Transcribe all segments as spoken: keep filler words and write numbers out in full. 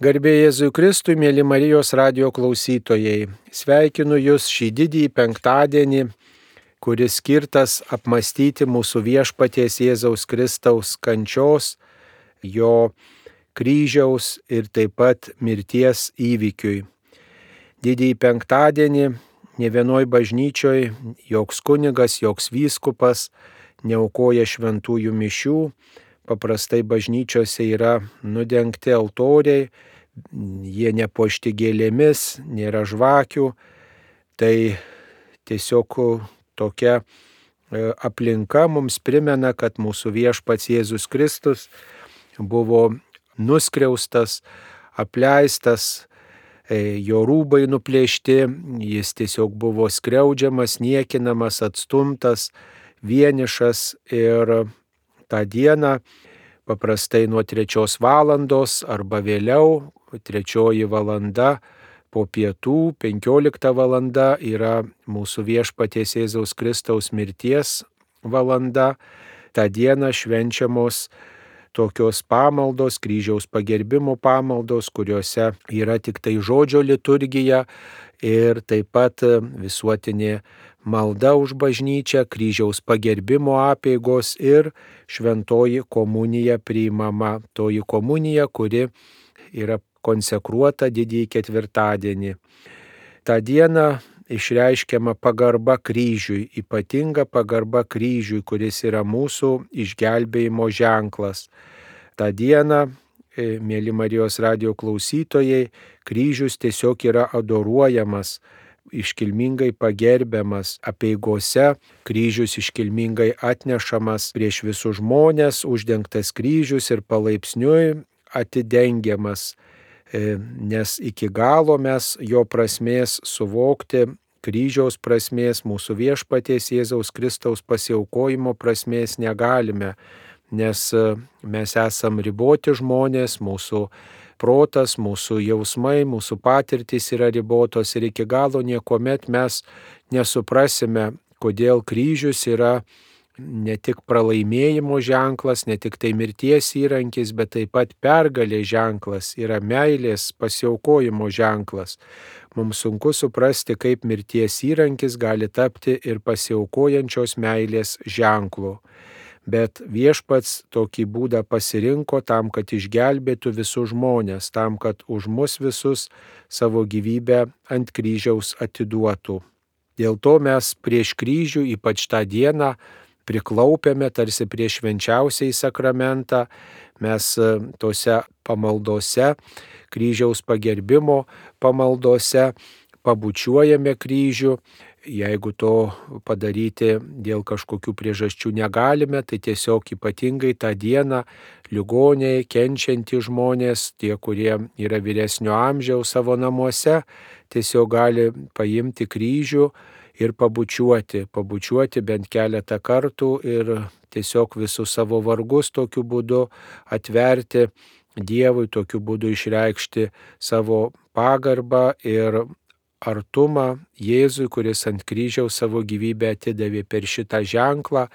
Garbė Jėzui Kristui, mėly Marijos radijo klausytojai. Sveikinu Jūs šį didįjį penktadienį, kuris skirtas apmastyti mūsų viešpaties Jėzaus Kristaus kančios, jo kryžiaus ir taip pat mirties įvykiui. Didįjį penktadienį ne vienoj bažnyčioj joks kunigas, joks vyskupas neaukoja šventųjų mišių. Paprastai bažnyčiose yra nudengti altoriai, jie nepuošti gėlėmis, nėra žvakių. Tai tiesiog tokia aplinka mums primena, kad mūsų viešpats Jėzus Kristus buvo nuskriaustas, apleistas, jo rūbai nuplėšti, jis tiesiog buvo skriaudžiamas, niekinamas, atstumtas, vienišas ir tą dieną, paprastai nuo trečios valandos arba vėliau, trečioji valanda po pietų, penkiolikta valanda yra mūsų viešpaties Jėzaus Kristaus mirties valanda. Ta diena švenčiamos tokios pamaldos, kryžiaus pagerbimo pamaldos, kuriuose yra tik tai žodžio liturgija ir taip pat visuotinė malda už bažnyčią, kryžiaus pagerbimo apeigos ir šventoji komunija priimama. Toji komunija, kuri yra konsekruota didįjį ketvirtadienį. Ta diena išreiškiama pagarba kryžiui, ypatinga pagarba kryžiui, kuris yra mūsų išgelbėjimo ženklas. Ta diena, mėly Marijos radijo klausytojai, kryžius tiesiog yra adoruojamas, iškilmingai pagerbiamas apeigose, kryžius iškilmingai atnešamas prieš visus žmonės, uždengtas kryžius ir palaipsniui atidengiamas, nes iki galo mes jo prasmės suvokti, kryžiaus prasmės, mūsų viešpaties Jėzaus Kristaus pasiaukojimo prasmės negalime, nes mes esam riboti žmonės, mūsų protas, mūsų jausmai, mūsų patirtys yra ribotos ir iki galo niekuomet mes nesuprasime, kodėl kryžius yra ne tik pralaimėjimo ženklas, ne tik tai mirties įrankis, bet taip pat pergalės ženklas, yra meilės pasiaukojimo ženklas. Mums sunku suprasti, kaip mirties įrankis gali tapti ir pasiaukojančios meilės ženklu. Bet viešpats tokį būdą pasirinko tam, kad išgelbėtų visus žmonės, tam, kad už mus visus savo gyvybę ant kryžiaus atiduotų. Dėl to mes prieš kryžių, ypač tą dieną, priklaupėme tarsi prieš švenčiausiąjį sakramentą, mes tose pamaldose, kryžiaus pagerbimo pamaldose pabučiuojame kryžių. Jeigu to padaryti dėl kažkokių priežasčių negalime, tai tiesiog ypatingai tą dieną ligoniai, kenčiantys žmonės, tie, kurie yra vyresnio amžiaus savo namuose, tiesiog gali paimti kryžių ir pabučiuoti, pabučiuoti bent keletą kartų ir tiesiog visus savo vargus tokiu būdu atverti Dievui, tokiu būdu išreikšti savo pagarbą ir artumą Jėzui, kuris ant kryžiaus savo gyvybę atidavė. Per šitą ženklą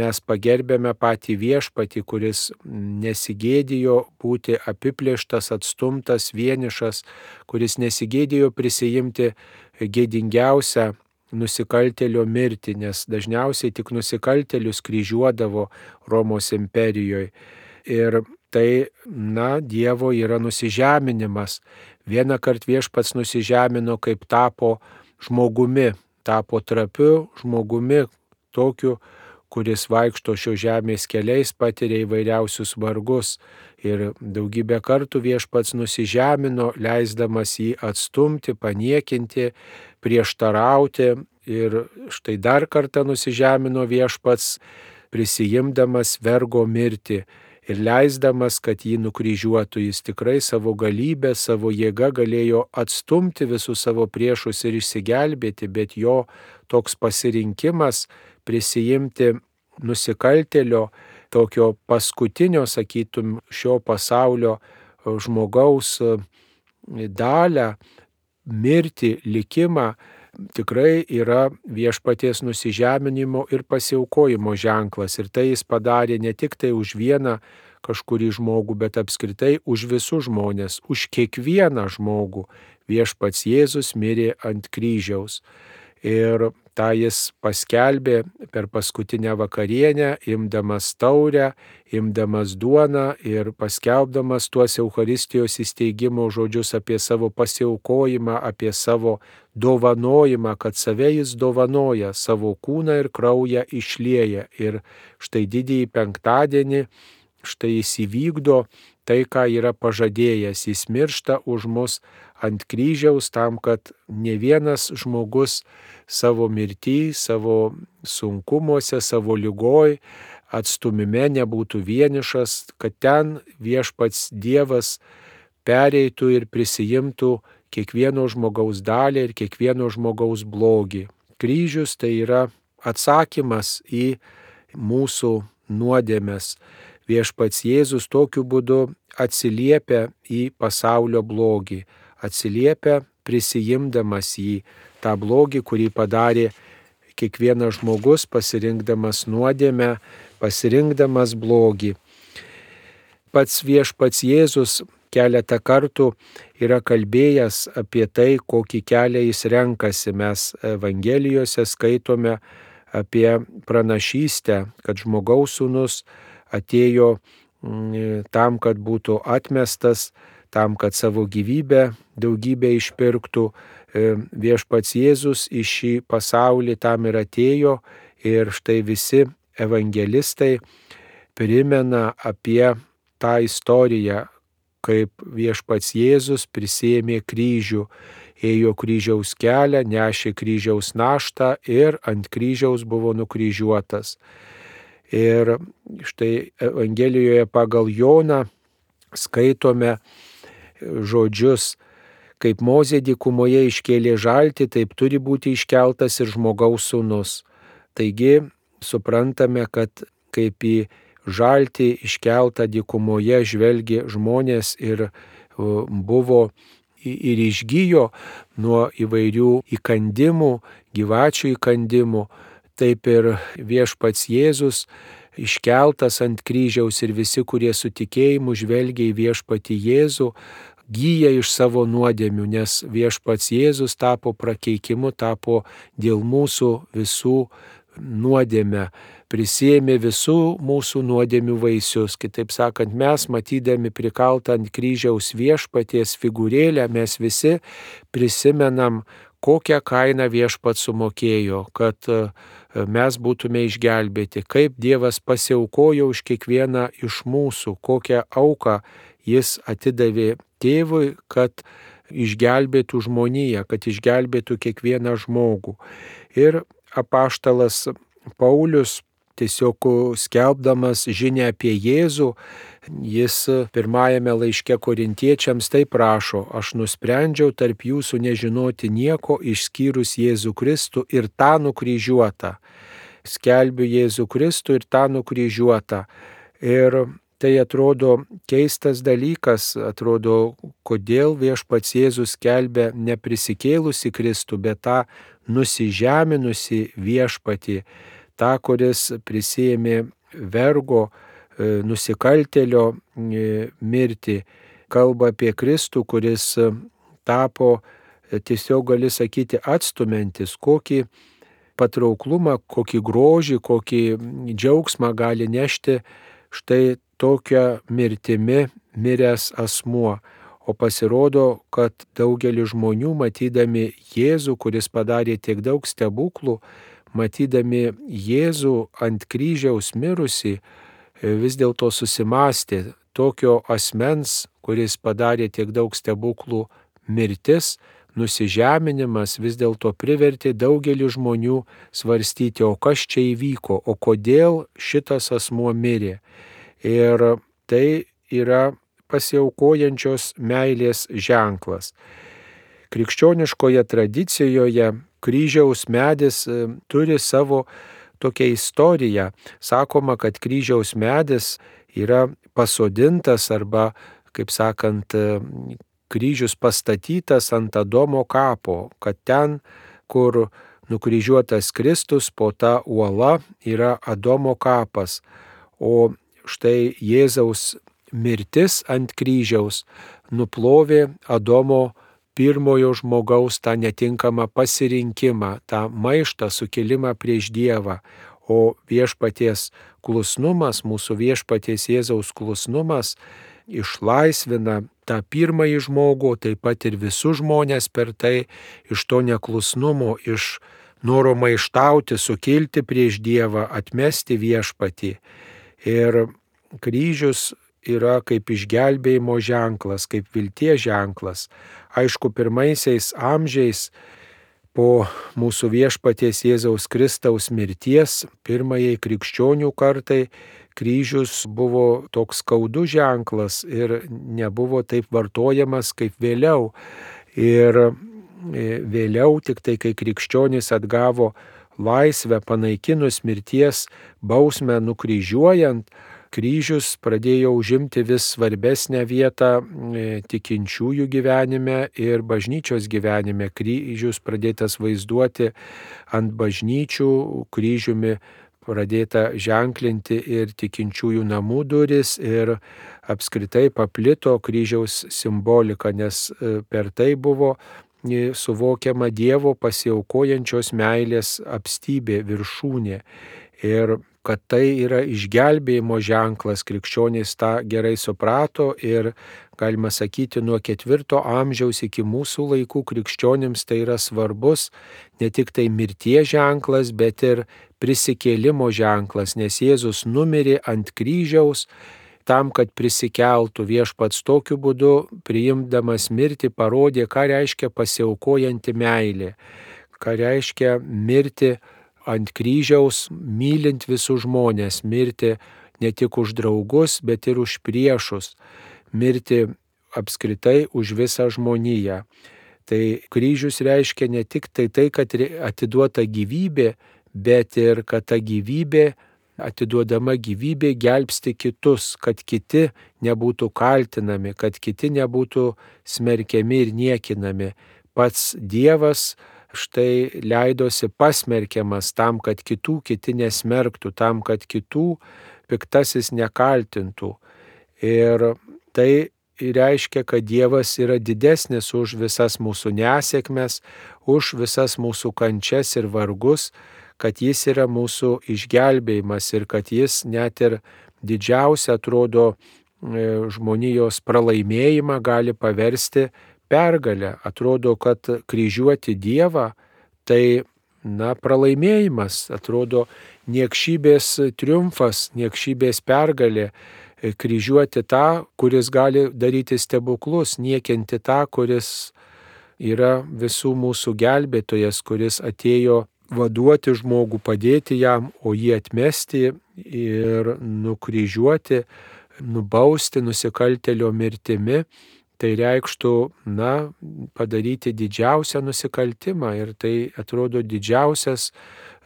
mes pagerbėme patį viešpatį, kuris nesigėdijo būti apiplėštas, atstumtas, vienišas, kuris nesigėdijo prisijimti gėdingiausią nusikaltėlio mirtį, nes dažniausiai tik nusikaltėlius kryžiuodavo Romos imperijoje. Ir tai, na, Dievo yra nusižeminimas. Vieną kartą viešpats nusižemino, kaip tapo žmogumi, tapo trapiu žmogumi, tokiu, kuris vaikšto šio žemės keliais, patiria įvairiausius vargus. Ir daugybę kartų viešpats nusižemino, leisdamas jį atstumti, paniekinti, prieštarauti. Ir štai dar kartą nusižemino viešpats, prisijimdamas vergo mirtį. Ir leisdamas, kad jį nukryžiuotų, jis tikrai savo galybę, savo jėgą galėjo atstumti visus savo priešus ir išsigelbėti, bet jo toks pasirinkimas prisijimti nusikaltėlio, tokio paskutinio, sakytum, šio pasaulio žmogaus dalią, mirtį, likimą, tikrai yra viešpaties nusižeminimo ir pasiaukojimo ženklas. Ir tai jis padarė ne tik tai už vieną kažkurį žmogų, bet apskritai už visus žmonės, už kiekvieną žmogų viešpats Jėzus mirė ant kryžiaus. Ir tą jis paskelbė per paskutinę vakarienę, imdamas taurę, imdamas duoną ir paskelbdamas tuos Eucharistijos įsteigimo žodžius apie savo pasiaukojimą, apie savo dovanojimą, kad save jis dovanoja, savo kūną ir kraują išlieja. Ir štai didįjį penktadienį, štai jis įvykdo tai, ką yra pažadėjęs. Jis miršta už mus ant kryžiaus tam, kad ne vienas žmogus savo mirtį, savo sunkumuose, savo lygoj, atstumime nebūtų vienišas, kad ten viešpats Dievas pereitų ir prisijimtų kiekvieno žmogaus dalį ir kiekvieno žmogaus blogį. Kryžius tai yra atsakymas į mūsų nuodėmes. Viešpats Jėzus tokiu būdu atsiliepia į pasaulio blogį, atsiliepia prisijimdamas jį, tą blogį, kurį padarė kiekvienas žmogus, pasirinkdamas nuodėmę, pasirinkdamas blogį. Pats viešpats Jėzus keletą kartų yra kalbėjęs apie tai, kokį kelią jis renkasi. Mes Evangelijose skaitome apie pranašystę, kad žmogaus sūnus atėjo tam, kad būtų atmestas, tam, kad savo gyvybę daugybę išpirktų. Viešpats Jėzus į šį pasaulį tam ir atėjo ir štai visi evangelistai primena apie tą istoriją, kaip viešpats Jėzus prisiėmė kryžių, ėjo kryžiaus kelią, nešė kryžiaus naštą ir ant kryžiaus buvo nukryžiuotas. Ir štai Evangelijoje pagal Joną skaitome žodžius: kaip Mozė dykumoje iškėlė žaltį, taip turi būti iškeltas ir žmogaus sūnus. Taigi suprantame, kad kaip į žaltį iškeltą dykumoje žvelgė žmonės ir buvo ir išgijo nuo įvairių įkandimų, gyvačių įkandimų, taip ir viešpats Jėzus iškeltas ant kryžiaus ir visi, kurie su tikėjimu žvelgia į viešpatį Jėzų, gyja iš savo nuodėmių, nes viešpats Jėzus tapo prakeikimu, tapo dėl mūsų visų nuodėmę, prisiėmė visų mūsų nuodėmių vaisius. Kitaip sakant, mes matydami prikaltą ant kryžiaus viešpaties figūrėlę, mes visi prisimenam, kokią kainą viešpats sumokėjo, kad mes būtume išgelbėti, kaip Dievas pasiaukojo už kiekvieną iš mūsų, kokią auką jis atidavė tėvui, kad išgelbėtų žmoniją, kad išgelbėtų kiekvieną žmogų. Ir apaštalas Paulius, tiesiog skelbdamas žinią apie Jėzų, jis pirmajame laiške Korintiečiams taip rašo: aš nusprendžiau tarp jūsų nežinoti nieko išskyrus Jėzų Kristų ir tą nukryžiuotą. Skelbiu Jėzų Kristų ir tą nukryžiuotą. Ir tai atrodo keistas dalykas, atrodo, kodėl viešpats Jėzus skelbia neprisikėlusi Kristų, bet tą nusižeminusi viešpatį, tą, kuris prisiėmė vergo, nusikaltėlio mirtį. Kalba apie Kristų, kuris tapo, tiesiog gali sakyti, atstumiantis, kokį patrauklumą, kokį grožį, kokį džiaugsmą gali nešti štai tokia mirtimi miręs asmuo. O pasirodo, kad daugelis žmonių, matydami Jėzų, kuris padarė tiek daug stebuklų, matydami Jėzų ant kryžiaus mirusi, vis dėlto susimastė: tokio asmens, kuris padarė tiek daug stebuklų, mirtis, nusižeminimas vis dėlto privertė daugelį žmonių svarstyti, o kas čia įvyko, o kodėl šitas asmuo mirė. Ir tai yra pasiaukojančios meilės ženklas. Krikščioniškoje tradicijoje kryžiaus medis turi savo tokią istoriją. Sakoma, kad kryžiaus medis yra pasodintas arba, kaip sakant, kryžius pastatytas ant Adomo kapo, kad ten, kur nukryžiuotas Kristus, po ta uola yra Adomo kapas. O štai Jėzaus mirtis ant kryžiaus nuplovė Adomo pirmojo žmogaus tą netinkamą pasirinkimą, tą maištą, sukilimą prieš Dievą, o viešpaties klusnumas, mūsų viešpaties Jėzaus klusnumas išlaisvina tą pirmąjį žmogų, taip pat ir visus žmonės per tai iš to neklusnumo, iš noro maištauti, sukilti prieš Dievą, atmesti viešpatį. Ir kryžius yra kaip išgelbėjimo ženklas, kaip vilties ženklas. Aišku, pirmaisiais amžiais po mūsų viešpaties Jėzaus Kristaus mirties, pirmajai krikščionių kartai, kryžius buvo toks skaudus ženklas ir nebuvo taip vartojamas kaip vėliau. Ir vėliau, tik tai kai krikščionys atgavo laisvę, panaikinus mirties bausmę nukryžiuojant, kryžius pradėjo užimti vis svarbesnę vietą tikinčiųjų gyvenime ir bažnyčios gyvenime. Kryžius pradėtas vaizduoti ant bažnyčių, kryžiumi pradėta ženklinti ir tikinčiųjų namų duris ir apskritai paplito kryžiaus simbolika, nes per tai buvo suvokiama Dievo pasiaukojančios meilės apstybė, viršūnė. Ir kad tai yra išgelbėjimo ženklas, krikščionys tą gerai suprato ir, galima sakyti, nuo ketvirto amžiaus iki mūsų laikų krikščionims tai yra svarbus ne tik tai mirties ženklas, bet ir prisikėlimo ženklas, nes Jėzus numirė ant kryžiaus tam, kad prisikeltų. Viešpats tokiu būdu, priimdamas mirtį, parodė, ką reiškia pasiaukojanti meilė, ką reiškia mirti ant kryžiaus, mylint visus žmonės, mirti ne tik už draugus, bet ir už priešus, mirti apskritai už visą žmoniją. Tai kryžius reiškia ne tik tai tai, kad atiduota gyvybė, bet ir kad ta gyvybė, atiduodama gyvybė, gelbsti kitus, kad kiti nebūtų kaltinami, kad kiti nebūtų smerkiami ir niekinami. Pats Dievas štai leidosi pasmerkiamas tam, kad kitų kiti nesmerktų, tam, kad kitų piktasis nekaltintų. Ir tai reiškia, kad Dievas yra didesnis už visas mūsų nesėkmes, už visas mūsų kančias ir vargus, kad jis yra mūsų išgelbėjimas ir kad jis net ir didžiausia, atrodo, žmonijos pralaimėjimą gali paversti pergalę. Atrodo, kad kryžiuoti Dievą tai, na, pralaimėjimas, atrodo, niekšybės triumfas, niekšybės pergalė, kryžiuoti tą, kuris gali daryti stebuklus, niekinti tą, kuris yra visų mūsų gelbėtojas, kuris atėjo vaduoti žmogų, padėti jam, o jį atmesti ir nukryžiuoti, nubausti nusikaltėlio mirtimi. Tai reikštų, na, padaryti didžiausią nusikaltimą ir tai atrodo didžiausias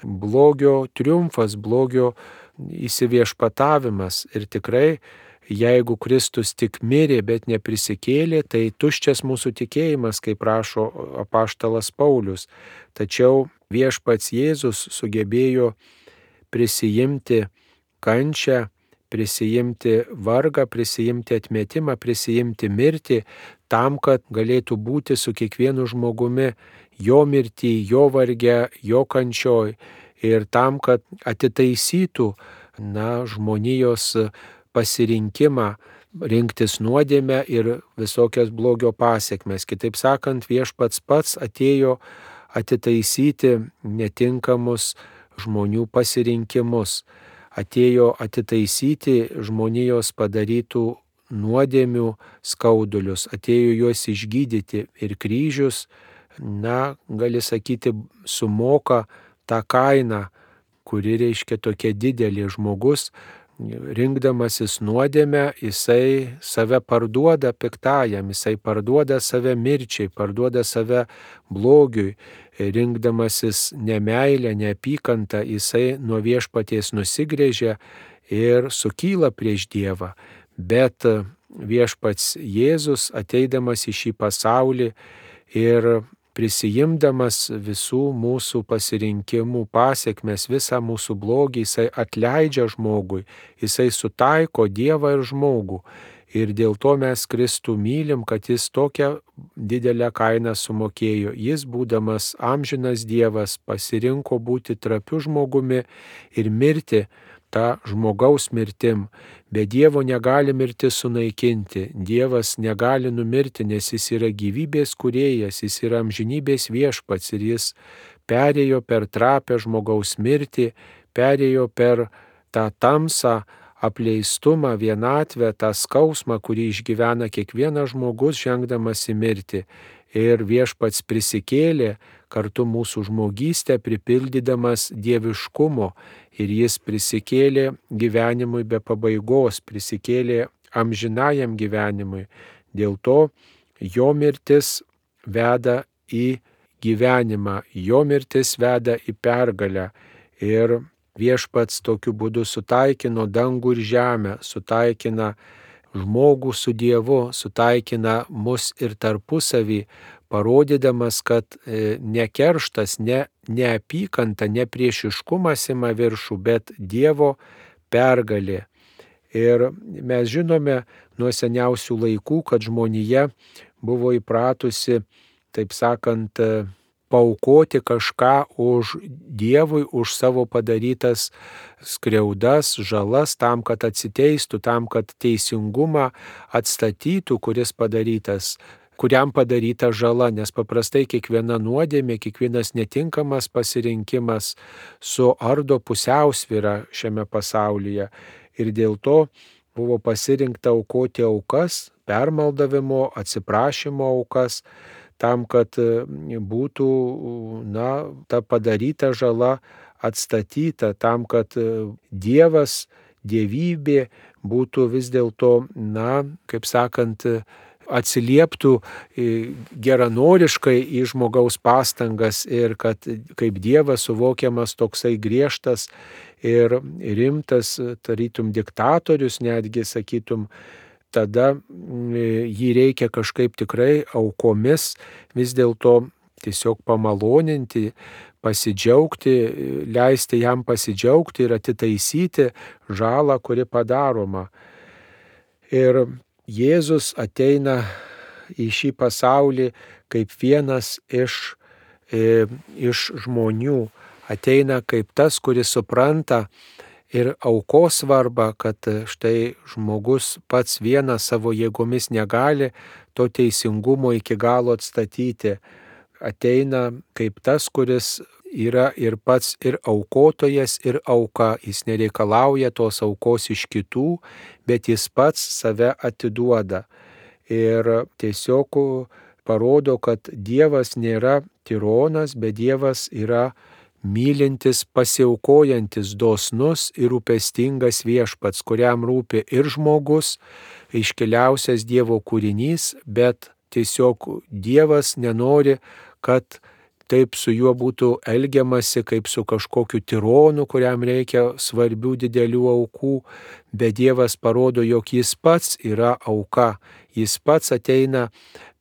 blogio triumfas, blogio įsiviešpatavimas. Ir tikrai, jeigu Kristus tik mirė, bet neprisikėlė, tai tuščias mūsų tikėjimas, kaip rašo apaštalas Paulius. Tačiau viešpats Jėzus sugebėjo prisijimti kančią, prisijimti vargą, prisijimti atmetimą, prisijimti mirtį, tam, kad galėtų būti su kiekvienu žmogumi jo mirtį, jo varge, jo kančioj ir tam, kad atitaisytų, na, žmonijos pasirinkimą rinktis nuodėmę ir visokias blogio pasiekmes. Kitaip sakant, viešpats pats atėjo atitaisyti netinkamus žmonių pasirinkimus. Atėjo atitaisyti žmonijos padarytų nuodėmių skaudulius, atėjo juos išgydyti ir kryžius, na, gali sakyti, sumoka tą kainą, kuri reiškia tokia didelė. Žmogus, rinkdamasis nuodėmę, jisai save parduoda piktajam, jisai parduoda save mirčiai, parduoda save blogiui. Rinkdamasis nemeilę, neapykantą, jisai nuo viešpaties nusigrėžia ir sukyla prieš Dievą. Bet viešpats Jėzus, ateidamas į šį pasaulį ir prisijimdamas visų mūsų pasirinkimų pasiekmes, visą mūsų blogį, jisai atleidžia žmogui, jisai sutaiko Dievą ir žmogų. Ir dėl to mes Kristų mylim, kad jis tokią didelę kainą sumokėjo. Jis, būdamas amžinas Dievas, pasirinko būti trapiu žmogumi ir mirti tą žmogaus mirtim. Be Dievo negali mirtis sunaikinti. Dievas negali numirti, nes jis yra gyvybės kūrėjas, jis yra amžinybės viešpats ir jis perėjo per trapę žmogaus mirtį, perėjo per tą tamsą, apleistumą, vienatvę, tą skausmą, kurį išgyvena kiekvienas žmogus žengdamas į mirtį. Ir viešpats prisikėlė kartu mūsų žmogystę, pripildydamas dieviškumo. Ir jis prisikėlė gyvenimui be pabaigos, prisikėlė amžinajam gyvenimui. Dėl to jo mirtis veda į gyvenimą, jo mirtis veda į pergalę. Ir viešpats tokiu būdu sutaikino dangų ir žemę, sutaikina žmogų su Dievu, sutaikina mus ir tarpusavį, parodydamas, kad ne kerštas, ne neapykanta, ne priešiškumas ima viršų, bet Dievo pergalė. Ir mes žinome nuo seniausių laikų, kad žmonija buvo įpratusi, taip sakant, paaukoti kažką už Dievui, už savo padarytas skriaudas, žalas, tam, kad atsiteistų, tam, kad teisingumą atstatytų, kuris padarytas, kuriam padaryta žala, nes paprastai kiekviena nuodėmė, kiekvienas netinkamas pasirinkimas suardo pusiausvyrą šiame pasaulyje. Ir dėl to buvo pasirinkta aukoti aukas, permaldavimo, atsiprašymo aukas, tam, kad būtų, na, ta padaryta žala atstatyta, tam, kad Dievas, dievybė būtų vis dėlto, na, kaip sakant, atsilieptų geranoriškai į žmogaus pastangas ir kad kaip Dievas suvokiamas toksai griežtas ir rimtas, tarytum diktatorius, netgi sakytum, tada jį reikia kažkaip tikrai aukomis vis dėlto tiesiog pamaloninti, pasidžiaugti, leisti jam pasidžiaugti ir atitaisyti žalą, kuri padaroma. Ir Jėzus ateina į šį pasaulį kaip vienas iš, e, iš žmonių, ateina kaip tas, kuris supranta ir aukos svarbą, kad štai žmogus pats vienas savo jėgomis negali to teisingumo iki galo atstatyti. Ateina kaip tas, kuris yra ir pats ir aukotojas, ir auka. Jis nereikalauja tos aukos iš kitų, bet jis pats save atiduoda. Ir tiesiog parodo, kad Dievas nėra tironas, bet Dievas yra mylintis, pasiaukojantis, dosnus ir rūpestingas viešpats, kuriam rūpi ir žmogus, iškiliausias Dievo kūrinys, bet tiesiog Dievas nenori, kad taip su juo būtų elgiamasi kaip su kažkokiu tironu, kuriam reikia svarbių didelių aukų, bet Dievas parodo, jog jis pats yra auka, jis pats ateina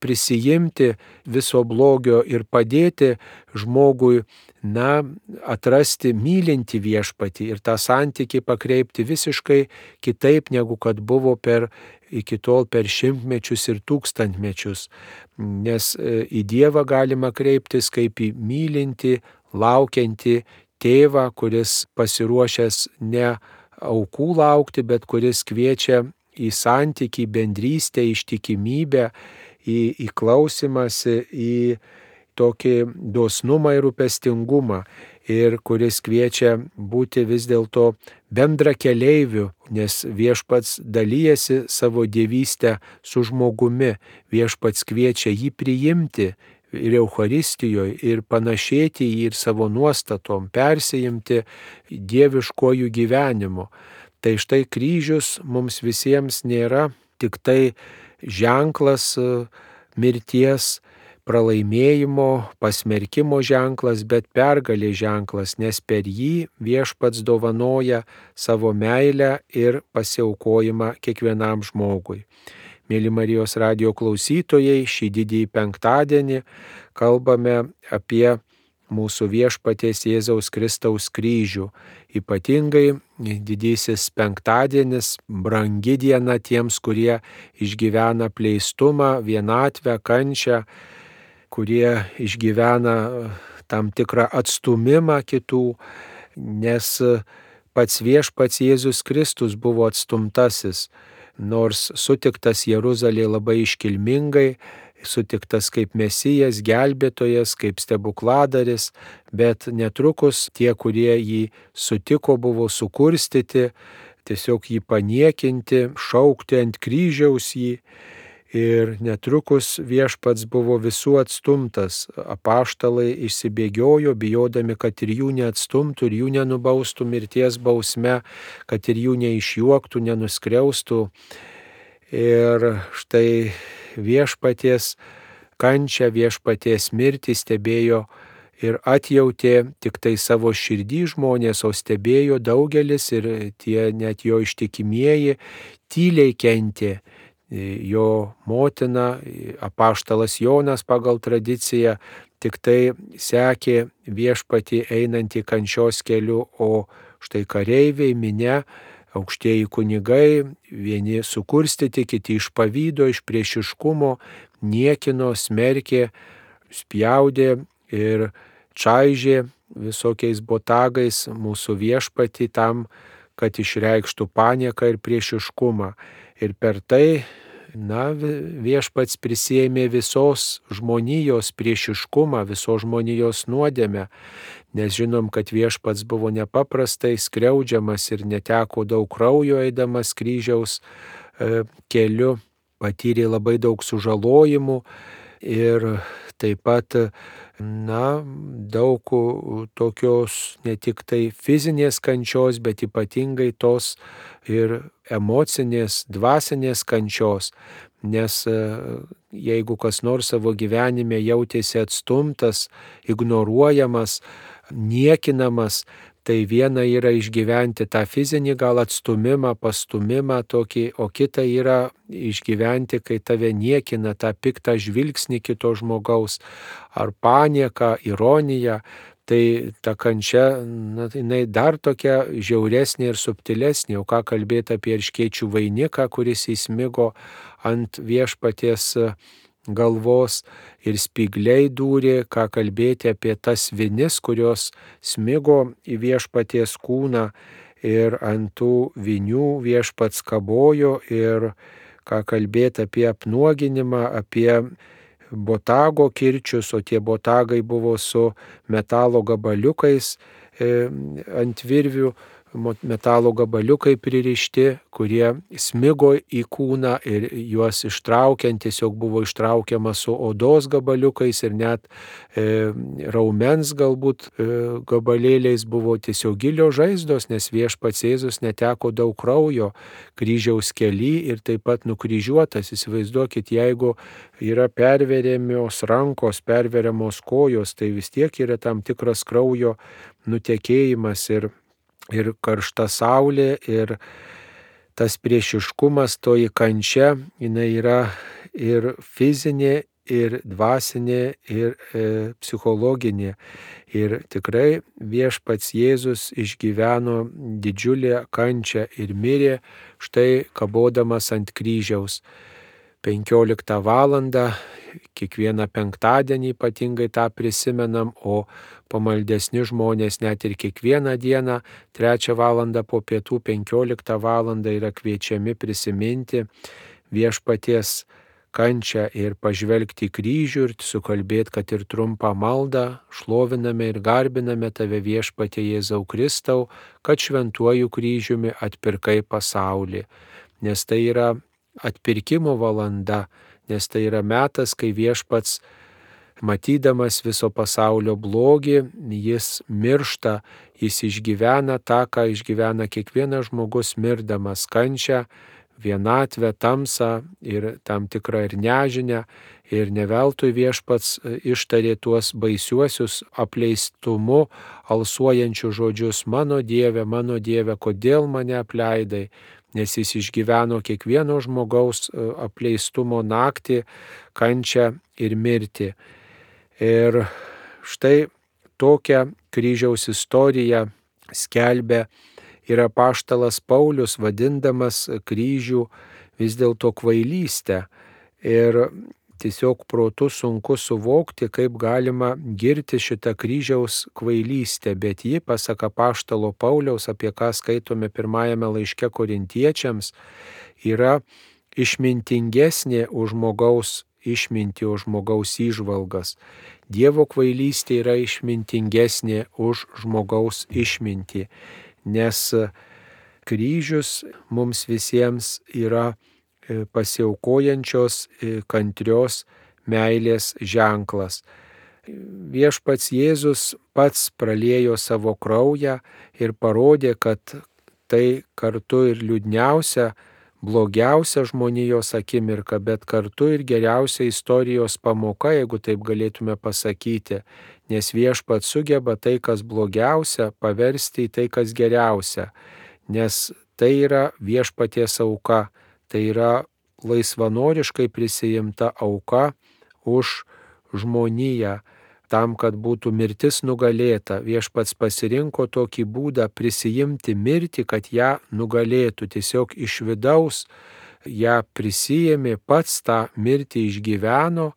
prisijimti viso blogio ir padėti žmogui, na, atrasti mylintį viešpatį ir tą santykį pakreipti visiškai kitaip, negu kad buvo per iki tol per šimtmečius ir tūkstantmečius. Nes į Dievą galima kreiptis kaip į mylintį, laukiantį tėvą, kuris pasiruošęs ne aukų laukti, bet kuris kviečia į santykį, bendrystę, ištikimybę, į, į klausimąsi, į tokį dosnumą ir rūpestingumą ir kuris kviečia būti vis dėlto bendra keleiviu, nes viešpats dalyjasi savo dievystę su žmogumi, viešpats kviečia jį priimti ir Eucharistijoje ir panašėti jį ir savo nuostatom, persijimti dieviškojų gyvenimu. Tai štai kryžius mums visiems nėra tik tai ženklas mirties, pralaimėjimo, pasmerkimo ženklas, bet pergalės ženklas, nes per jį viešpats dovanoja savo meilę ir pasiaukojimą kiekvienam žmogui. Mėly Marijos radijo klausytojai, šį didįjį penktadienį kalbame apie mūsų viešpaties Jėzaus Kristaus kryžių. Ypatingai didysis penktadienis, brangi diena tiems, kurie išgyvena apleistumą, vienatvę, kančią, kurie išgyvena tam tikrą atstumimą kitų, nes pats viešpats Jėzus Kristus buvo atstumtasis, nors sutiktas Jeruzalėje labai iškilmingai, sutiktas kaip Mesijas, gelbėtojas, kaip stebukladaris, bet netrukus tie, kurie jį sutiko, buvo sukurstyti, tiesiog jį paniekinti, šaukti ant kryžiaus jį. Ir netrukus viešpats buvo visų atstumtas. Apaštalai išsibėgiojo, bijodami, kad ir jų neatstumtų, ir jų nenubaustų mirties bausme, kad ir jų neišjuoktų, nenuskriaustų. Ir štai viešpaties kančią, viešpaties mirtį stebėjo ir atjautė tik tai savo širdį žmonės, o stebėjo daugelis ir tie net jo ištikimieji tyliai kentė. Jo motina, apaštalas Jonas pagal tradiciją, tik tai sekė viešpatį einantį kančios keliu, o štai kareiviai, minia, aukštieji kunigai, vieni sukurstyti, kiti iš pavydo, iš priešiškumo, niekino, smerkė, spjaudė ir čaižė visokiais botagais mūsų viešpatį tam, kad išreikštų panieką ir priešiškumą. Ir per tai, na, viešpats prisiėmė visos žmonijos priešiškumą, visos žmonijos nuodėmę, nes žinom, kad viešpats buvo nepaprastai skriaudžiamas ir neteko daug kraujo eidamas kryžiaus e, keliu, patyrė labai daug sužalojimų ir taip pat, na, daug tokios ne tik tai fizinės kančios, bet ypatingai tos ir emocinės, dvasinės kančios, nes jeigu kas nors savo gyvenime jautėsi atstumtas, ignoruojamas, niekinamas, tai viena yra išgyventi tą fizinį gal atstumimą, pastumimą tokį, o kita yra išgyventi, kai tave niekina, tą piktą žvilgsnį kito žmogaus, ar panieką, ironiją. Tai ta kančia, na, jinai dar tokia žiauresnė ir subtilesnė, o ką kalbėti apie erškėčių vainiką, kuris įsmigo ant viešpaties galvos ir spygliai dūrė, ką kalbėti apie tas vinis, kurios smigo į viešpaties kūną ir ant tų vinių viešpats kabojo ir ką kalbėti apie apnuoginimą, apie botago kirčius, o tie botagai buvo su metalo gabaliukais e, ant virvių, metalo gabaliukai pririšti, kurie smigo į kūną ir juos ištraukiant tiesiog buvo ištraukiama su odos gabaliukais ir net e, raumens galbūt e, gabalėliais buvo tiesiog gilios žaizdos, nes viešpats Jėzus neteko daug kraujo kryžiaus kely ir taip pat nukryžiuotas. Įsivaizduokit, jeigu yra perveriamos rankos, perveriamos kojos, tai vis tiek yra tam tikras kraujo nutekėjimas ir ir karšta saulė, ir tas priešiškumas, toji kančia, jinai yra ir fizinė, ir dvasinė, ir e, psichologinė. Ir tikrai viešpats Jėzus išgyveno didžiulę kančią ir mirė štai kabodamas ant kryžiaus. penkioliktą valandą, kiekvieną penktadienį ypatingai tą prisimenam, o pamaldesni žmonės net ir kiekvieną dieną, trečią valandą po pietų, penkioliktą valandą yra kviečiami prisiminti viešpaties kančią ir pažvelgti į kryžių ir sukalbėti, kad ir trumpą maldą šloviname ir garbiname tave viešpatie Jėzau Kristau, kad šventuoju kryžiumi atpirkai pasaulį. Nes tai yra atpirkimo valanda, nes tai yra metas, kai viešpats, matydamas viso pasaulio blogį, jis miršta, jis išgyvena tą, ką išgyvena kiekvienas žmogus mirdamas, kančią, vienatvę, tamsą ir tam tikrą ir nežinę. Ir neveltui viešpats ištarė tuos baisiuosius apleistumu alsuojančius žodžius: mano Dieve, mano Dieve, kodėl mane apleidai? nes jis išgyveno kiekvieno žmogaus apleistumo naktį, kančią ir mirtį. Ir štai tokią kryžiaus istoriją skelbia ir apaštalas Paulius, vadindamas kryžių vis dėlto kvailystę. Ir tiesiog protu sunku suvokti, kaip galima girti šitą kryžiaus kvailystę, bet ji, pasak apaštalo Pauliaus, apie ką skaitome pirmajame laiške Korintiečiams, yra išmintingesnė už žmogaus išmintį, už žmogaus įžvalgas. Dievo kvailystė yra išmintingesnė už žmogaus išmintį, nes kryžius mums visiems yra pasiaukojančios, kantrios meilės ženklas. Viešpats Jėzus pats praliejo savo kraują ir parodė, kad tai kartu ir liūdniausia, blogiausia žmonijos akimirka, bet kartu ir geriausia istorijos pamoka, jeigu taip galėtume pasakyti, nes viešpats sugeba tai, kas blogiausia, paversti į tai, kas geriausia, nes tai yra viešpaties auka. Tai yra laisvanoriškai prisijimta auka už žmoniją, tam, kad būtų mirtis nugalėta. Viešpats pasirinko tokį būdą prisijimti mirtį, kad ją nugalėtų. Tiesiog iš vidaus ją prisijėmė, pats tą mirtį išgyveno,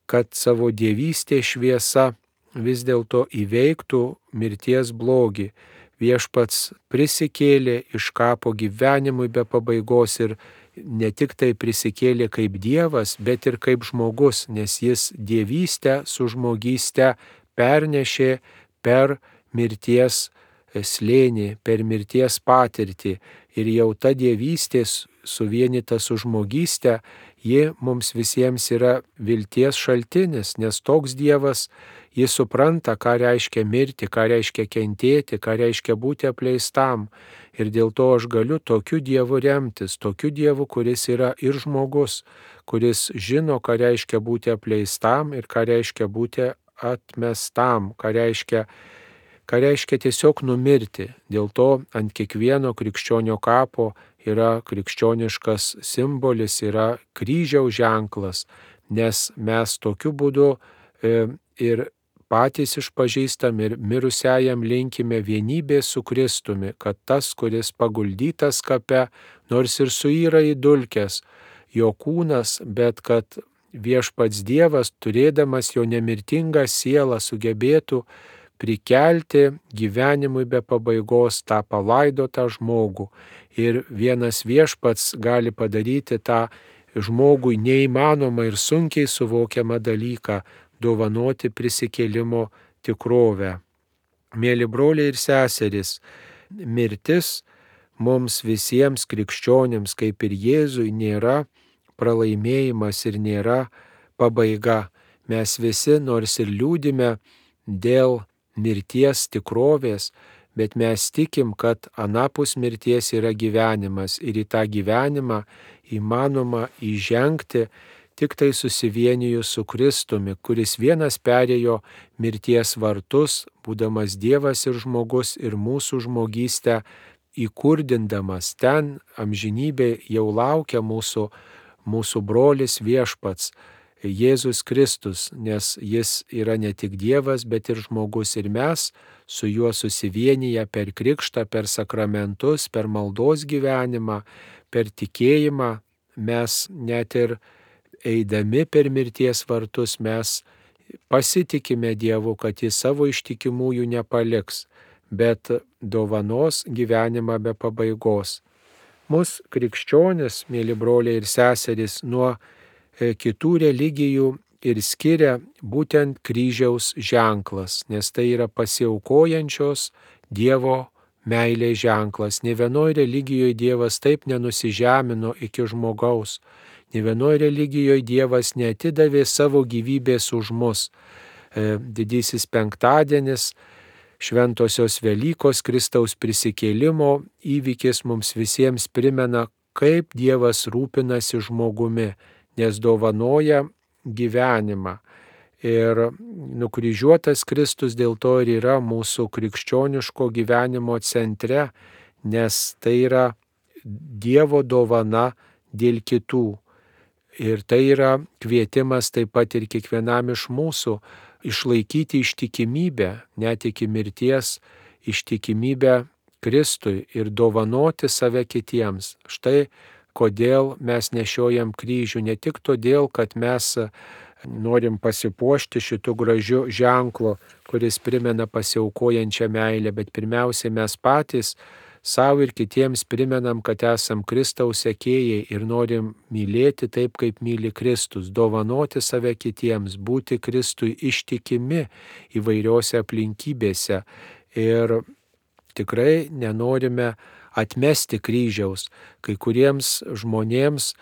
kad savo dievystės šviesa vis dėlto įveiktų mirties blogį. Viešpats prisikėlė iš kapo gyvenimui be pabaigos ir ne tik tai prisikėlė kaip Dievas, bet ir kaip žmogus, nes jis dievystę su žmogyste pernešė per mirties slėnį, per mirties patirtį. Ir jau ta dievystė suvienyta su žmogyste, ji mums visiems yra vilties šaltinis, nes toks Dievas, jis supranta, ką reiškia mirti, ką reiškia kentėti, ką reiškia būti apleistam. Ir dėl to aš galiu tokiu Dievu remtis, tokiu Dievu, kuris yra ir žmogus, kuris žino, ką reiškia būti apleistam ir ką reiškia būti atmestam, ką reiškia, ką reiškia tiesiog numirti. Dėl to ant kiekvieno krikščionio kapo yra krikščioniškas simbolis, yra kryžiaus ženklas, nes mes tokiu būdu e, ir patys išpažįstam ir mirusiajam linkime vienybės su Kristumi, kad tas, kuris paguldytas kape, nors ir suyra į dulkes, jo kūnas, bet kad viešpats Dievas, turėdamas jo nemirtingą sielą, sugebėtų prikelti gyvenimui be pabaigos tą palaidotą žmogų. Ir vienas viešpats gali padaryti tą žmogui neįmanomą ir sunkiai suvokiamą dalyką, dovanoti prisikėlimo tikrovę. Mėly broliai ir seserys, mirtis mums visiems krikščionims, kaip ir Jėzui, nėra pralaimėjimas ir nėra pabaiga. Mes visi, nors ir liūdime dėl mirties tikrovės, bet mes tikim, kad anapus mirties yra gyvenimas ir į tą gyvenimą įmanoma įžengti tik tai susivienijus su Kristumi, kuris vienas perėjo mirties vartus, būdamas Dievas ir žmogus ir mūsų žmogystę įkurdindamas. Ten amžinybė jau laukia mūsų, mūsų brolis viešpats, Jėzus Kristus, nes jis yra ne tik Dievas, bet ir žmogus. Ir mes su juo susivienyje per krikštą, per sakramentus, per maldos gyvenimą, per tikėjimą, mes net ir eidami per mirties vartus mes pasitikime Dievu, kad jis savo ištikimųjų nepaliks, bet dovanos gyvenimą be pabaigos. Mus krikščionis, mėly broliai ir seserys, nuo kitų religijų ir skiria būtent kryžiaus ženklas, nes tai yra pasiaukojančios Dievo meilės ženklas. Nė vienoje religijoje Dievas taip nenusižemino iki žmogaus. Nė vienoje religijoje Dievas neatidavė savo gyvybės už mus. Didysis penktadienis, šventosios Velykos, Kristaus prisikėlimo įvykis mums visiems primena, kaip Dievas rūpinasi žmogumi, nes dovanoja gyvenimą. Ir nukryžiuotas Kristus dėl to ir yra mūsų krikščioniško gyvenimo centre, nes tai yra Dievo dovana dėl kitų. Ir tai yra kvietimas taip pat ir kiekvienam iš mūsų išlaikyti ištikimybę, net iki mirties, ištikimybę Kristui ir dovanoti save kitiems. Štai kodėl mes nešiojam kryžių, ne tik todėl, kad mes norim pasipuošti šitų gražių ženklų, kuris primena pasiaukojančią meilę, bet pirmiausiai mes patys savo ir kitiems primenam, kad esam Kristaus sekėjai ir norim mylėti taip, kaip myli Kristus, dovanoti save kitiems, būti Kristui ištikimi įvairiose aplinkybėse. Ir tikrai nenorime atmesti kryžiaus. Kai kuriems žmonėms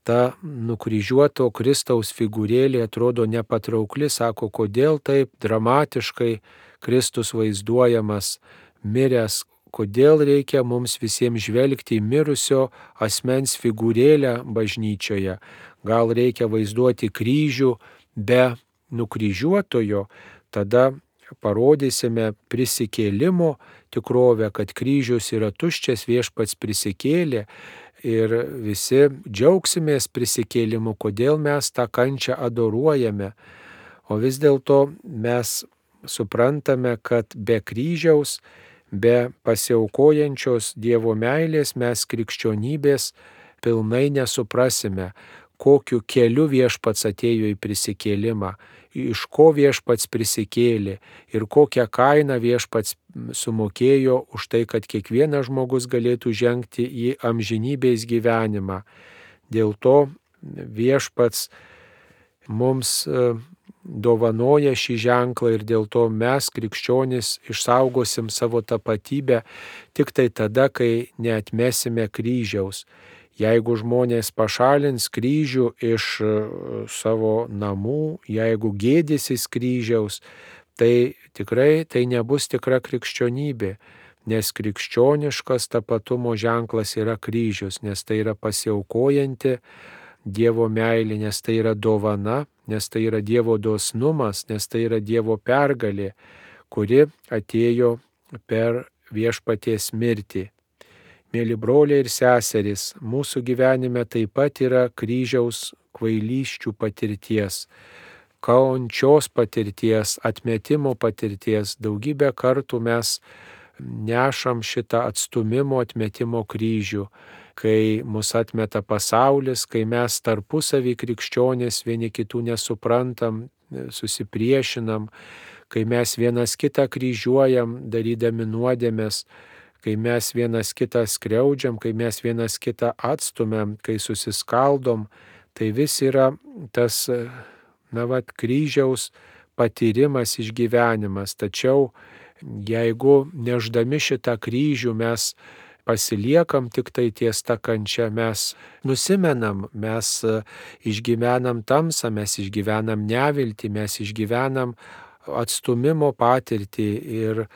ta nukryžiuoto Kristaus figūrėlė atrodo nepatraukli, sako, kodėl taip dramatiškai Kristus vaizduojamas, miręs, kodėl reikia mums visiems žvelgti į mirusio asmens figūrėlę bažnyčioje. Gal reikia vaizduoti kryžių be nukryžiuotojo, tada parodysime prisikėlimo tikrovę, kad kryžius yra tuščias, viešpats prisikėlė ir visi džiaugsimės prisikėlimu, kodėl mes tą kančią adoruojame. O vis dėlto mes suprantame, kad be kryžiaus, be pasiaukojančios Dievo meilės mes krikščionybės pilnai nesuprasime, kokiu keliu viešpats atėjo į prisikėlimą, iš ko viešpats prisikėlė ir kokią kainą viešpats sumokėjo už tai, kad kiekvienas žmogus galėtų žengti į amžinybės gyvenimą. Dėl to viešpats mums dovanoja šį ženklą ir dėl to mes, krikščionys, išsaugosim savo tapatybę tik tai tada, kai neatmesime kryžiaus. Jeigu žmonės pašalins kryžių iš savo namų, jeigu gėdysis kryžiaus, tai tikrai tai nebus tikra krikščionybė, nes krikščioniškas tapatumo ženklas yra kryžius, nes tai yra pasiaukojanti Dievo meilė, nes tai yra dovana, nes tai yra Dievo dosnumas, nes tai yra Dievo pergalė, kuri atėjo per viešpaties mirtį. Mėly broliai ir seserys, mūsų gyvenime taip pat yra kryžiaus kvailysčių patirties, kančios patirties, atmetimo patirties. Daugybę kartų mes nešam šitą atstūmimo, atmetimo kryžių, kai mus atmeta pasaulis, kai mes tarpusavį krikščionys vieni kitų nesuprantam, susipriešinam, kai mes vienas kitą kryžiuojam, darydami nuodėmes, kai mes vienas kitą skriaudžiam, kai mes vienas kitą atstumiam, kai susiskaldom, tai vis yra tas, na vat, kryžiaus patyrimas, išgyvenimas. Tačiau jeigu neždami šitą kryžių mes pasiliekam tik tai ties ta kančia, mes nusimenam, mes išgyvenam tamsą, mes išgyvenam neviltį, mes išgyvenam atstumimo patirtį ir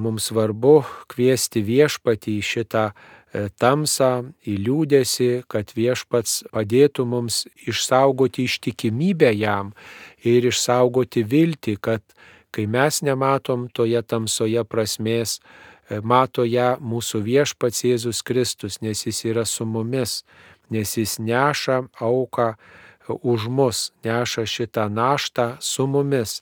mums svarbu kviesti viešpatį į šitą tamsą, į liūdesį, kad viešpats padėtų mums išsaugoti ištikimybę jam ir išsaugoti viltį, kad kai mes nematom toje tamsoje prasmės, mato ją mūsų viešpats Jėzus Kristus, nes jis yra su mumis, nes jis neša auką už mus, neša šitą naštą su mumis.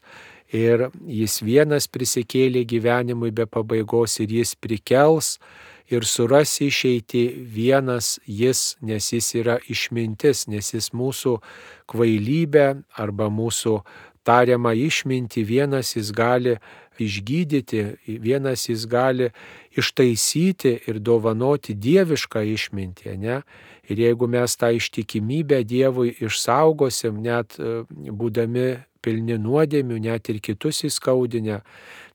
Ir jis vienas prisikėlė gyvenimui be pabaigos ir jis prikels ir suras išeitį vienas jis, nes jis yra išmintis, nes jis mūsų kvailybę arba mūsų tariamą išmintį vienas jis gali išgydyti, vienas jis gali ištaisyti ir dovanoti dievišką išmintį, ne? Ir jeigu mes tą ištikimybę Dievui išsaugosim, net būdami pilni nuodėmių, net ir kitus įskaudinę,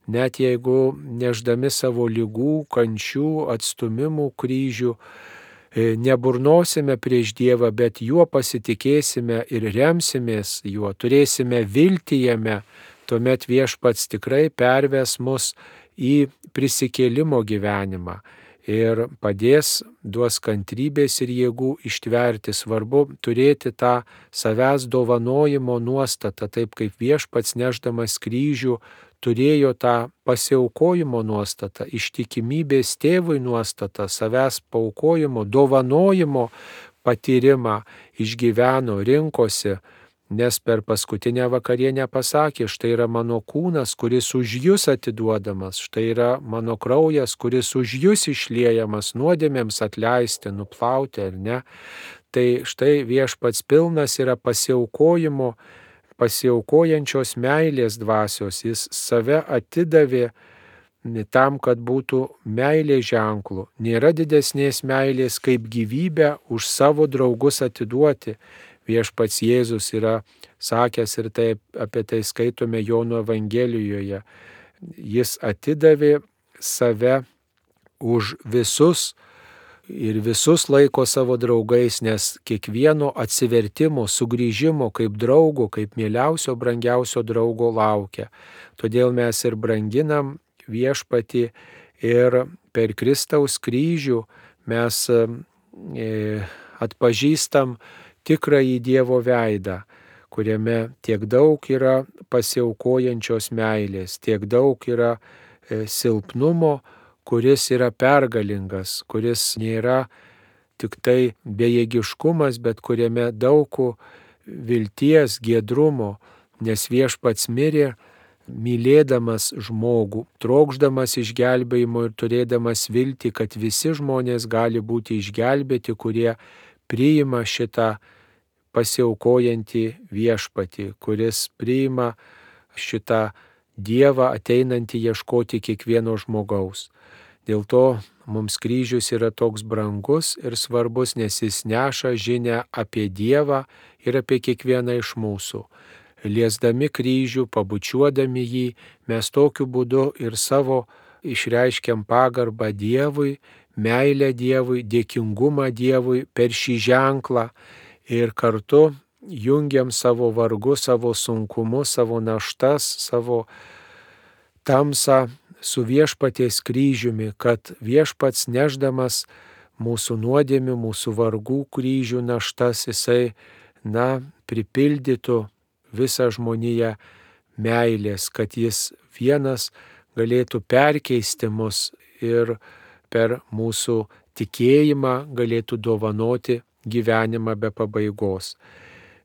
net jeigu neždami savo ligų, kančių, atstumimų kryžių, neburnosime prieš Dievą, bet juo pasitikėsime ir remsimės juo, turėsime viltį jame, tuomet viešpats tikrai perves mus į prisikėlimo gyvenimą ir padės, duos kantrybės ir jėgų ištverti. Svarbu turėti tą savęs dovanojimo nuostatą, taip kaip viešpats nešdamas kryžių turėjo tą pasiaukojimo nuostatą, ištikimybės tėvui nuostatą, savęs paaukojimo, dovanojimo patyrimą išgyveno, rinkosi, nes per paskutinę vakarienę pasakė, štai yra mano kūnas, kuris už jūs atiduodamas, štai yra mano kraujas, kuris už jūs išliejamas nuodėmėms atleisti, nuplauti ar ne. Tai štai Viešpats pilnas yra pasiaukojimo, pasiaukojančios meilės dvasios, jis save atidavė tam, kad būtų meilės ženklų. Nėra didesnės meilės, kaip gyvybę už savo draugus atiduoti. Viešpats Jėzus yra sakęs ir taip, apie tai skaitome Jono Evangelijoje. Jis atidavė save už visus ir visus laiko savo draugais, nes kiekvieno atsivertimo, sugrįžimo kaip draugo, kaip mieliausio, brangiausio draugo laukia. Todėl mes ir branginam Viešpatį ir per Kristaus kryžių mes atpažįstam tikrąjį Dievo veidą, kuriame tiek daug yra pasiaukojančios meilės, tiek daug yra silpnumo, kuris yra pergalingas, kuris nėra tik tai bejėgiškumas, bet kuriame daug vilties, giedrumo, nes Viešpats mirė, mylėdamas žmogų, trokšdamas išgelbėjimo ir turėdamas viltį, kad visi žmonės gali būti išgelbėti, kurie priima šitą pasiaukojantį Viešpatį, kuris priima šitą Dievą ateinantį ieškoti kiekvieno žmogaus. Dėl to mums kryžius yra toks brangus ir svarbus, nes jis neša žinią apie Dievą ir apie kiekvieną iš mūsų. Liesdami kryžių, pabučiuodami jį, mes tokiu būdu ir savo išreiškiam pagarbą Dievui, meilę Dievui, dėkingumą Dievui per šį ženklą ir kartu jungiam savo vargus, savo sunkumus, savo naštas, savo tamsą su Viešpaties kryžiumi, kad Viešpats neždamas mūsų nuodėmių, mūsų vargų kryžių naštas, jisai, na, pripildytų visą žmoniją meilės, kad jis vienas galėtų perkeisti mus ir per mūsų tikėjimą galėtų dovanoti gyvenimą be pabaigos.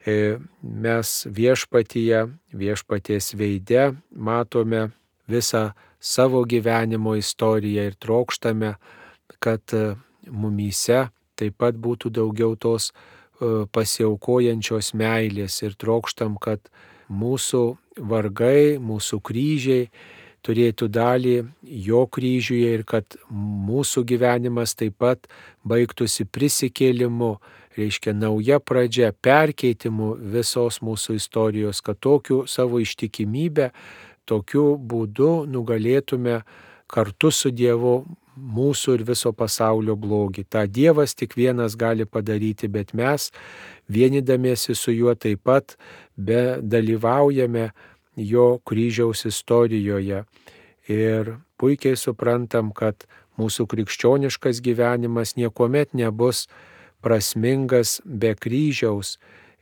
Mes Viešpatyje, Viešpaties veide matome visą savo gyvenimo istoriją ir trokštame, kad mumyse taip pat būtų daugiau tos pasiaukojančios meilės ir trokštam, kad mūsų vargai, mūsų kryžiai turėtų dalį jo kryžiuje ir kad mūsų gyvenimas taip pat baigtųsi prisikėlimu, reiškia nauja pradžia, perkeitimu visos mūsų istorijos, kad tokiu savo ištikimybę, tokiu būdu nugalėtume kartu su Dievu mūsų ir viso pasaulio blogį. Ta Dievas tik vienas gali padaryti, bet mes vienydamiesi su juo taip pat be dalyvaujame jo kryžiaus istorijoje. Ir puikiai suprantam, kad mūsų krikščioniškas gyvenimas niekuomet nebus prasmingas be kryžiaus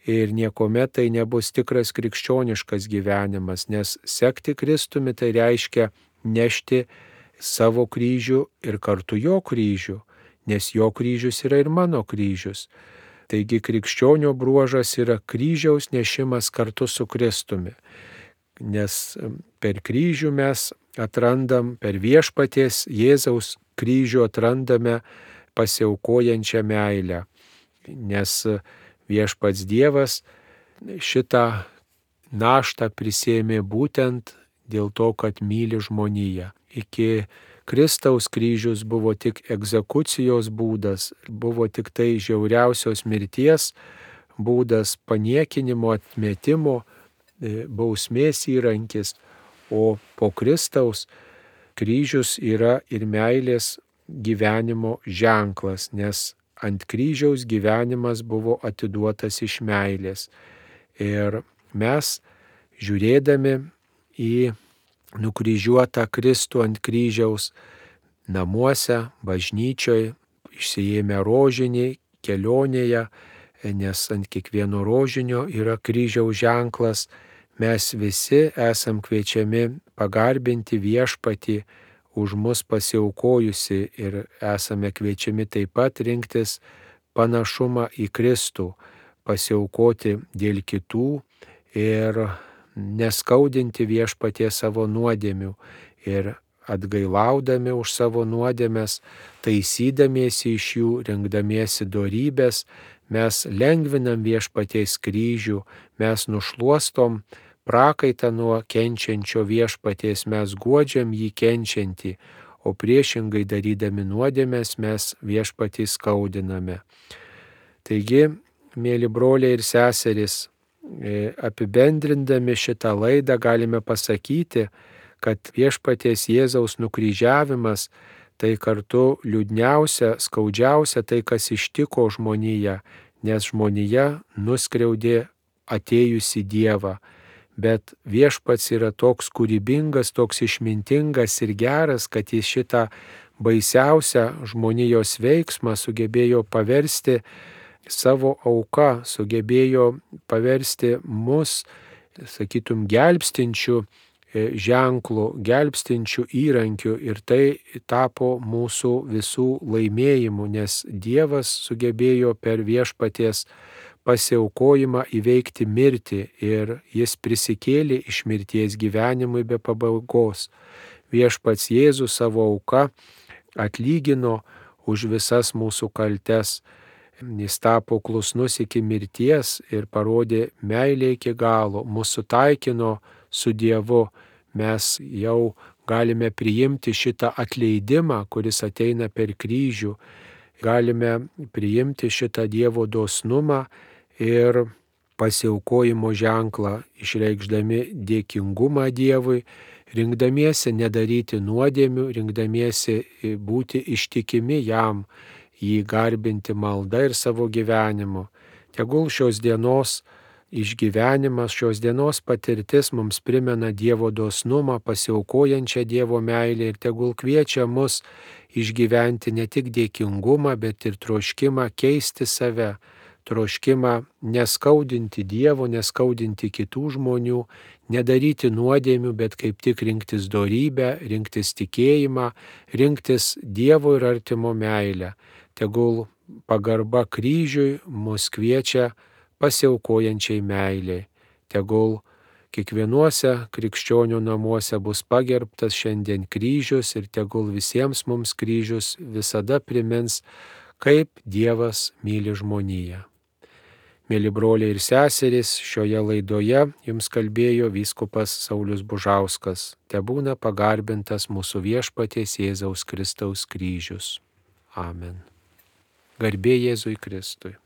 ir niekuomet tai nebus tikras krikščioniškas gyvenimas, nes sekti Kristumi tai reiškia nešti savo kryžių ir kartu jo kryžių, nes jo kryžius yra ir mano kryžius. Taigi krikščionio bruožas yra kryžiaus nešimas kartu su Kristumi, nes per kryžių mes atrandam, per Viešpaties Jėzaus kryžių atrandame pasiaukojančią meilę, nes Viešpats Dievas šitą naštą prisėmė būtent dėl to, kad myli žmoniją. Iki Kristaus kryžius buvo tik egzekucijos būdas, buvo tik tai žiauriausios mirties būdas, paniekinimo, atmetimo, bausmės įrankis, o po Kristaus kryžius yra ir meilės gyvenimo ženklas, nes ant kryžiaus gyvenimas buvo atiduotas iš meilės. Ir mes, žiūrėdami į nukryžiuotą Kristų ant kryžiaus namuose, bažnyčioje, išsiėmę rožinį kelionėje, nes ant kiekvieno rožinio yra kryžiaus ženklas, mes visi esam kviečiami pagarbinti viešpatį už mus pasiaukojusi ir esame kviečiami taip pat rinktis panašumą į Kristų, pasiaukoti dėl kitų ir neskaudinti viešpaties savo nuodėmių ir atgailaudami už savo nuodėmes, taisydamiesi iš jų, rinkdamiesi dorybės, mes lengvinam viešpaties kryžių, mes nušluostom prakaitą nuo kenčiančio viešpaties, mes guodžiam jį kenčiantį, o priešingai darydami nuodėmes mes viešpatį skaudiname. Taigi, mėly broliai ir seserys, apibendrindami šitą laidą galime pasakyti, kad viešpaties Jėzaus nukryžiavimas tai kartu liūdniausia, skaudžiausia tai, kas ištiko žmoniją, nes žmonija nuskriaudė atėjusi Dievą. Bet viešpats yra toks kūrybingas, toks išmintingas ir geras, kad jis šitą baisiausią žmonijos veiksmą sugebėjo paversti savo auka, sugebėjo paversti mus, sakytum, gelbstinčių ženklų, gelbstinčių įrankių ir tai tapo mūsų visų laimėjimu, nes Dievas sugebėjo per viešpaties pasiaukojimą įveikti mirtį ir jis prisikėlė iš mirties gyvenimui be pabaigos. Viešpats Jėzus savo auka atlygino už visas mūsų kaltes. Jis tapo klusnus iki mirties ir parodė meilę iki galo, mūsų taikino su Dievu. Mes jau galime priimti šitą atleidimą, kuris ateina per kryžių. Galime priimti šitą Dievo dosnumą ir pasiaukojimo ženklą, išreikšdami dėkingumą Dievui, rinkdamiesi nedaryti nuodėmių, rinkdamiesi būti ištikimi jam, jį garbinti malda ir savo gyvenimu. Tegul šios dienos išgyvenimas, šios dienos patirtis mums primena Dievo dosnumą, pasiaukojančią Dievo meilę ir tegul kviečia mus išgyventi ne tik dėkingumą, bet ir troškimą keisti save, troškimą neskaudinti Dievo, neskaudinti kitų žmonių, nedaryti nuodėmių, bet kaip tik rinktis dorybę, rinktis tikėjimą, rinktis Dievo ir artimo meilę. Tegul pagarba kryžiui mus kviečia pasiaukojančiai meiliai. Tegul kiekvienuose krikščionių namuose bus pagerbtas šiandien kryžius ir tegul visiems mums kryžius visada primins, kaip Dievas myli žmoniją. Mėly broliai ir seserys, šioje laidoje jums kalbėjo vyskupas Saulius Bužauskas. Tebūna pagarbintas mūsų viešpaties Jėzaus Kristaus kryžius. Amen. Garbė Jėzui Kristui.